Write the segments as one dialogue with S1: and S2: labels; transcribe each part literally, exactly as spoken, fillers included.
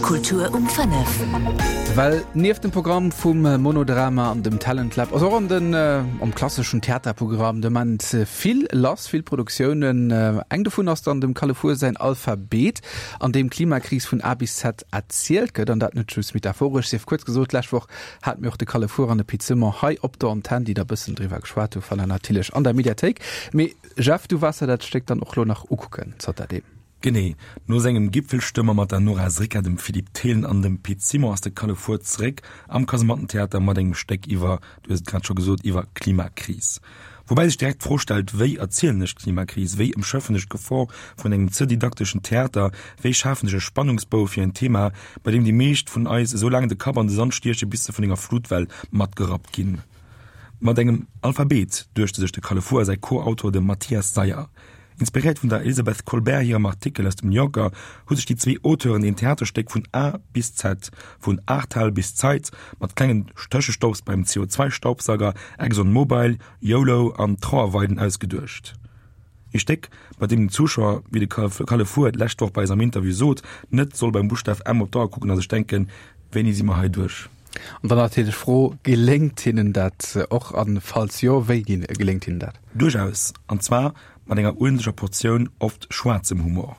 S1: Kultur um fënnef.
S2: Well nieft dem Programm vum Monodrama an dem Talent Lab ass och an den am klasseschen Theaterprogramm de Moment vill lass, vill Produktiounen. Eng dovun ass dann dem Kalle Fuhr säin Alphabet, an deem d'Klimakris vun A bis Z erzielt gëtt, an dat net just metaphoresch. Sief kuerz gesot, d'lescht Woch hate mir och de Kalle Fuhr an de Pit Simon hei op der Antenn, déi da bëssen driwwer geschwat hu fannt der natierlech an der Mediathéik. Mee Jeff, du waars der dat Stéck dann och lo nach ukucken zanterdeem.
S3: Genee. No sengem Gipfelstürmer mat der Nora Srica, dem Philippe Thelen an dem Pit Simon ass de Kalle Fuhr zeréck am Kasemattentheater mat engem Stéck iwwer, du hues et grad scho gesot, iwwer d'Klimakris. Woubäi sech direkt d'Fro stellt, Wéi erzielen ech d'Klimakris? Wéi ëmschëffen ech d'Gefor vun engem ze didakteschen Theater? Wéi schafen ech e Spannungsbou fir en Thema, bei deem déi meescht vun eis esou laang de Kapp an de Sand stieche bis se vun enger Flutwell matgerappt ginn? Mat engem Alphabet, duechte sech de Kalle Fuhr a säi Co-Autor, de Mathias Seyer. Inspiréiert vun der Elizabeth Kolbert hirem Artikel aus dem New Yorker hu sech déi zwee Auteuren een Theaterstéck vun A bis Z, vun Ahrtal bis Zeit, mat klengen Tëschestopps beim C O zwei Staubsauger, Exxon Mobil, YOLO an Trauerweiden ausgeduecht. Ee Stéck, bei deem den Zuschauer, wéi de Kalle Fuhr et d'lescht Woch bei eis am Interview sot, net soll beim Buschtaf M op d'Auer kucken a sech denken, Wéini si mer hei duerch?
S2: An dann natierlech d'Fro, Geléngt hinnen dat och? An falls jo, wéi geléngt hinnen dat?
S3: Duerchaus, an zwar mat enger uerdentlecher Portioun oft schwaarzem Humor.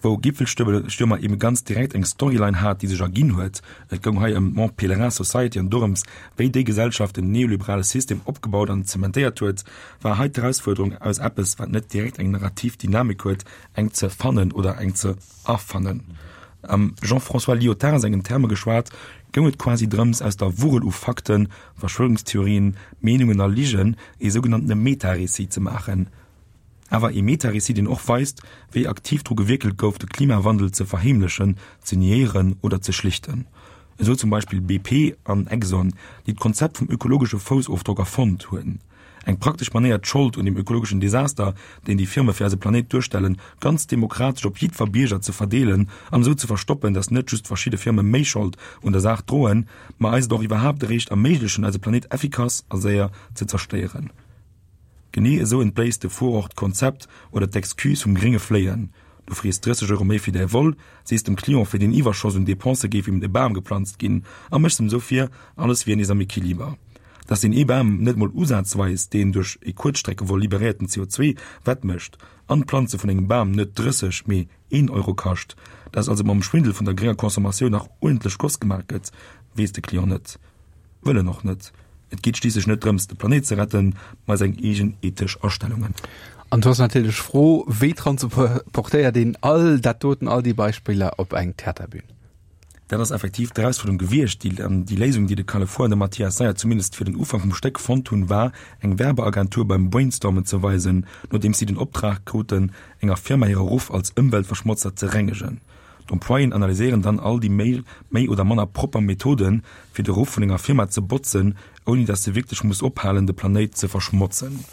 S3: Wou Gipfelstürmer eben ganz direkt eng Storyline hat, déi sech erginn huet, et goung hei ëm d'Mont Pelerin Society an dorëms, wéi déi Gesellschaft den neoliberale System opgebaut an zementéiert huet, war hei d'Erausfuerderung, aus eppes, wat net direkt eng narrativ Dynamik huet, eng ze fannen oder eng ze erfannen. Am Jean-François Lyotard sengen Terme geschwat, goung et quasi drëms, aus der Wuerel u Fakten, Verschwörungstheorien, Meenungen a Ligen ee sougenanntene Meta-Récit ze maachen. Awer ee Meta-Récit, deen och weist, wéi aktiv dru gewierkelt gouf, de Klimawandel ze verheemlechen, ze niéieren oder ze schlichten. Esou zum Beispill B P an Exxon, déi d'Konzept vum ökologesche Foussofdrock erfonnt hunn. Eng praktesch Manéier, d'Schold un dem ökologeschen Desaster, deen déi Firme fir eise Planéit duerstellen, ganz demokratesch op jiddwer Bierger ze verdeelen an esou ze verstoppen, dass net just verschidde Firme méi Schold un der Saach droen, ma eis et och iwwerhaapt eréischt erméiglechen, eise Planéit effikass a séier ze zerstéieren. Genee esou entbléisst de Fuhr och d'Konzept oder d'Excuse vum grénge Fléien. Du frees drësseg Euro méi fir däi Vol, sees dem Client, fir deen Iwwerschoss un Depensë géif em e Bam geplanzt ginn a méchs em esou vir, alles wier nees am Equiliber. Dass deen ee Bam net mol usazweis deen duerch e Kuerzstreckevol liberéierten C O zwee wettmécht an d'Planze vun engem Bam net drësseg, mee een Euro kascht, dass also mam Schwindel vun der grénger Consommatioun nach uerdentlech Goss gemaach gëtt, weess de Client net. Wëll en och net. Et geet schliisslech net drëms, de Planéit ze retten, ma seng eegen ethesch Astellungen.
S2: An do ass natierlech d'Fro, wéi transportéiert een all dat doten, all déi Beispiller op eng Theaterbün?
S3: Dat ass effektiv d'Erausfuerderung gewiescht. Déi, déi Léisung, déi de Kalle Fuhr an de Mathias Seyer zumindest fir den Ufank vum Stéck fonnt hunn, war, eng Werbeagentur beim Brainstormen ze weisen, nodeems si den Optrag kruten, enger Firma hire Ruff als Ëmweltverschmotzer ze rengegen. D'Employéen analyséieren dann all déi méi, méi oder manner propper Methoden, fir de Ruff vun enger Firma ze botzen, ouni dass se wierklech muss ophalen, de Planéit ze verschmotzen.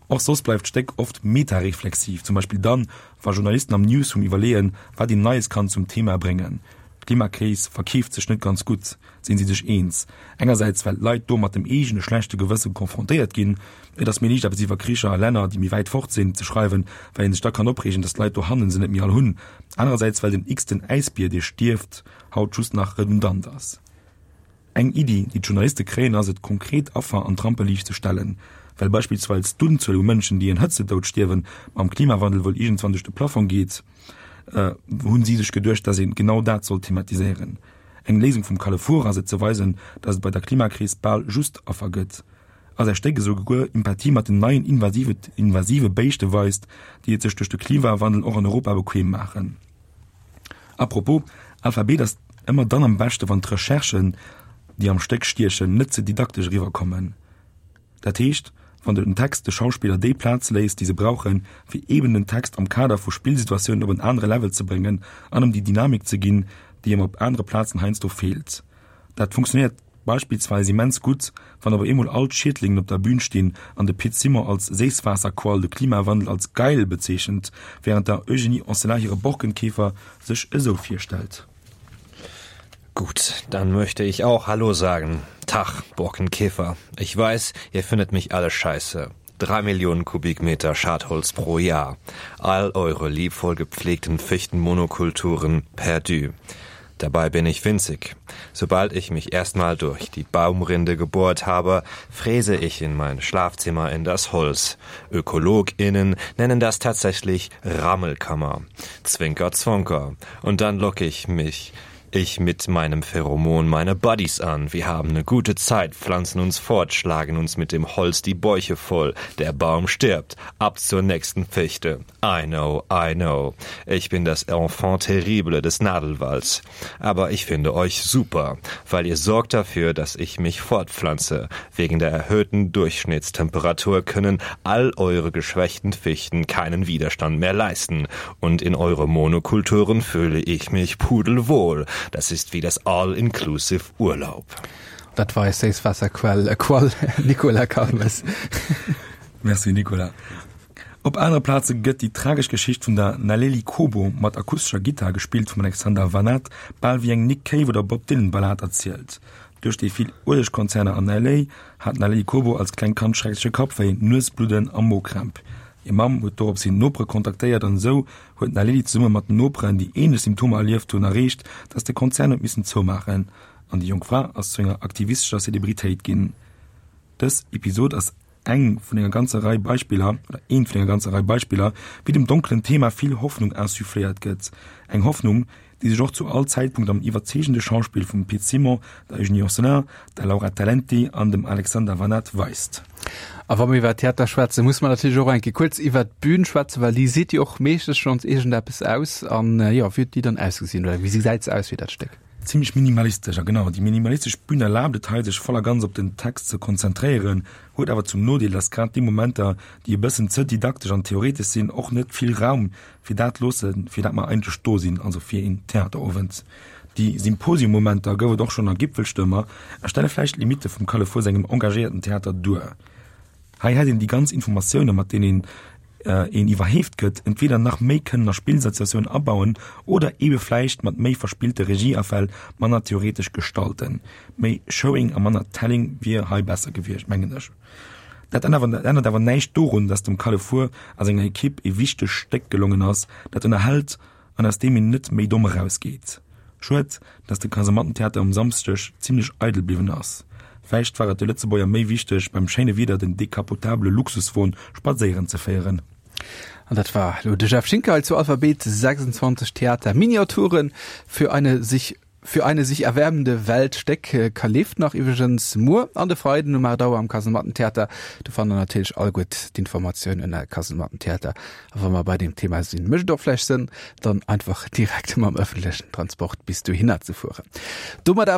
S3: Och soss bleift d'Stéck oft metareflexiv, zum Beispill dann, wa Journalisten am Newsroom iwwerleeën, wat een Neies kann zum Thema bréngen. D'Klimakris verkeeft sech net ganz gutt, sinn si sech eens. Engersäits well d'Leit do mat dem eegene schlechte Gewësse konfrontéiert ginn, et ass méi liicht eppes iwwer Kricher a Länner, déi méi wäit fort sinn, ze schreiwen, well een sech da kann opreegen, dass d'Leit dohannen se net méi all hunn. Anerersäits well den x-ten Äisbier, dee stierft, haut just nach redundant ass. Eng Iddi, déi d'Journaliste kréien, ass et, konkret Affer an d'Rampeliicht ze stellen. Well beispillsweis d'Unzuel u Mënschen, déi en Hëtzetoud stierwen, mam Klimawandel wuel iergendwann duerch de Plafong geet, hunn si sech geduecht, dass een genau dat sollt thematiséieren. Eng Léisung vum Kalle Fuhr ass et ze weisen, dass et bei der Klimakris bal just Affer gëtt. A säi Stéck esouguer Empathie mat den neien invasive invasive Béischte weist, déi et sech duerch de Klimawandel och an Europa bequem maachen. Apropos, Alphabet ass ëmmer dann am beschte wann d'Recherchen, déi am Stéck stiechen, net ze didaktesch eriwwerkommen. Dat heescht, wann den Text de Schauspiller déi Plaz léisst, déi se brauchen, fir eben den Text am Kader vu Spillsituatiounen op en anere Level ze bréngen an em déi Dynamik ze ginn, déi em op anere Plazen heiansdo feelt. Dat funktionéiert beispillsweis immens gutt, wann op eemol all d'Schiedlingen op der Bün stinn an de Pit Simon als Séisswaasserquall de Klimawandel als geil bezeechent, wärend der Eugénie Anselin hire Borkenkäfer sech esou virstellt.
S4: Gut, dann möchte ich auch Hallo sagen. Tach, Borkenkäfer. Ich weiß, ihr findet mich alle scheiße. Drei Millionen Kubikmeter Schadholz pro Jahr. All eure liebvoll gepflegten Fichtenmonokulturen perdu. Dabei bin ich winzig. Sobald ich mich erstmal durch die Baumrinde gebohrt habe, fräse ich in mein Schlafzimmer in das Holz. ÖkologInnen nennen das tatsächlich Rammelkammer. Zwinker, Zwonker. Und dann locke ich mich ich mit meinem Pheromon meine Buddies an. Wir haben eine gute Zeit, pflanzen uns fort, schlagen uns mit dem Holz die Bäuche voll. Der Baum stirbt. Ab zur nächsten Fichte. I know, I know. Ich bin das Enfant terrible des Nadelwalds. Aber ich finde euch super, weil ihr sorgt dafür, dass ich mich fortpflanze. Wegen der erhöhten Durchschnittstemperatur können all eure geschwächten Fichten keinen Widerstand mehr leisten. Und in eure Monokulturen fühle ich mich pudelwohl. Das ist wie das All-Inclusive Urlaub.
S2: Dat war eis Séisswaasserquell äh, Quall Nicolas Calmes.
S3: Merci Nicolas. Op anere Plaze gëtt déi tragesch Geschicht vun der Naleli Kobo mat akustescher Gittar, gespillt vum Alexander Vanat, bal wéi eng Nick Cave oder Bob Dylan Ballad erzielt. Duerch déi vill Uelegkonzerner an L A hat d'Naleli Kobo als klengt Kand schreckleche Kappwéi, Nuesbludden a Mokrämp. Hir Mamm huet dorops hin d'Nopere kontaktéiert an esou huet d'Naleli zesumme mat den Noperen, déi änlech Symptomer erlieft hunn, erreecht, dass de Konzern huet missen zoumaachen an déi jonk Fra ass zu enger aktivistescher Celebritéit ginn. Dës Episod ass eng vun enger ganzer Rei Beispiller, oder eent vun enger ganzer Rei Beispiller, wéi dem donkelen Thema vill Hoffnung insuffléiert gëtt. Eng Hoffnung, déi sech och zu all Zäitpunkt am iwwerzeegende Schauspill vum Pit Simon, der Eugénie Anselin, der Laura Talenti an dem Alexander Vanat weist.
S2: A wa mir iwwer Theater schwätzen, muss mer natierlech och eng Kéier kuerz iwwer d'Bün schwätzen, well déi seet jo och meeschtens schonns iergendeppes aus. An jo, wéi huet déi dann ausgesinn oder wéi gesäit se aus, wéi dat Stéck?
S3: Zimmlech minimalistesch, a genau déi minimalistesch Bün erlaabt et hei, sech voll a ganz op den Text ze konzentréieren, huet awer zum Nodeel, dass grad déi Momenter, déi e bëssen ze didaktesch an theoretesch sinn, och net vill Raum fir dat loossen, fir dat mer eigentlech do sinn, also fir een Theaterowend. Déi Symposium-Momenter gouf et och schonn a Gipfelstürmer a stelle vläicht d'Limitte vum Kalle Fuhr sengem engagéierten Theater duer. Hei hätt een déi ganz Informatioune mat deenen een iwwerheeft gëtt, entweder nach méi kënnen a Spillsituatiounen abauen oder eebe vläicht mat méi verspillte Regieafäll manner theoretesch gestalten. Méi Showing a manner Telling wier hei besser gewiescht, mengen ech. Dat ännert awer näischt dorun, datt dem Kalle Fuhr a senger Ekipp e wichtegt Stéck gelongen ass, dat ënnerhält an aus deem een net méi domm erausgeet. Schued, datt de Kasemattentheater um Samschdeg zimmlech eidel bliwwen ass. Vläicht war et de Lëtzebuerger méi wichteg, beim schéine Wieder den decapotabele Luxuswon spadséieren ze féieren.
S2: An dat war elo de Jeff Schinker hei zu Alphabet sechsundzwanzeg Theater Miniaturen für eine sich für eine sich erwärmende Welt. Stéck ka leeft nach iwwregens muer an de Freiden um aacht Auer am Kasemattentheater. Do fannt der natierlech all gutt d'Informatiounen ënner Kasemattentheater. A wa mer bei deem Thema sinn, mécht et och vläicht Sënn, dann einfach direkt mam ëffentlechen Transport bis dohinner ze fueren. Domat